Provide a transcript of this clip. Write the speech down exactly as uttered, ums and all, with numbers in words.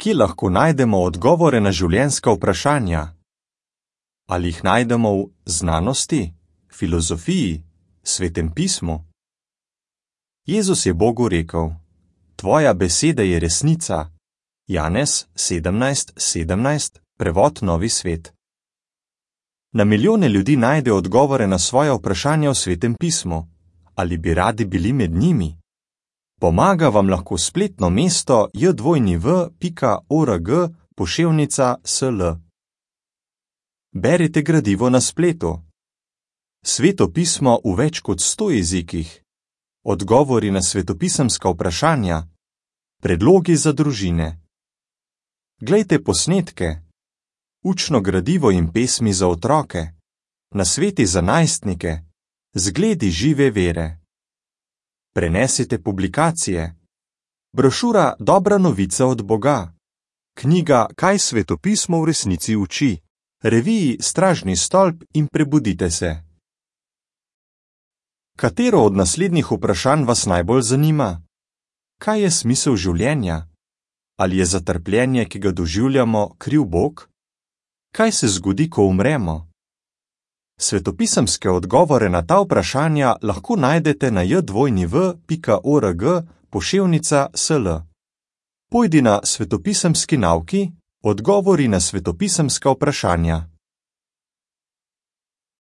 Kje lahko najdemo odgovore na življenjska vprašanja? Ali jih najdemo v znanosti, filozofiji, Svetem pismu? Jezus je Bogu rekel: Tvoja beseda je resnica. Janez sedemnajst sedemnajst, prevod Novi svet. Na milijone ljudi najde odgovore na svoja vprašanja v Svetem pismu. Ali bi radi bili med njimi? Pomaga vam lahko spletno mesto j dvojni v pika org poševnica sl. Berite gradivo na spletu. Sveto pismo v več kot sto jezikih. Odgovori na svetopisemska vprašanja. Predlogi za družine. Glejte posnetke. Učno gradivo in pesmi za otroke. Nasveti za najstnike. Zgledi žive vere. Prenesite publikacije. Brošura Dobra novica od Boga. Knjiga Kaj svetopismo v resnici uči. Reviji Stražni stolp in Prebudite se. Katero od naslednjih vprašanj vas najbolj zanima? Kaj je smisel življenja? Ali je za trpljenje, ki ga doživljamo, kriv Bog? Kaj se zgodi, ko umremo? Svetopisemske odgovore na ta vprašanja lahko najdete na j dvojni v pika org poševnica sl. Pojdi na svetopisemski nauki, odgovori na svetopisemska vprašanja.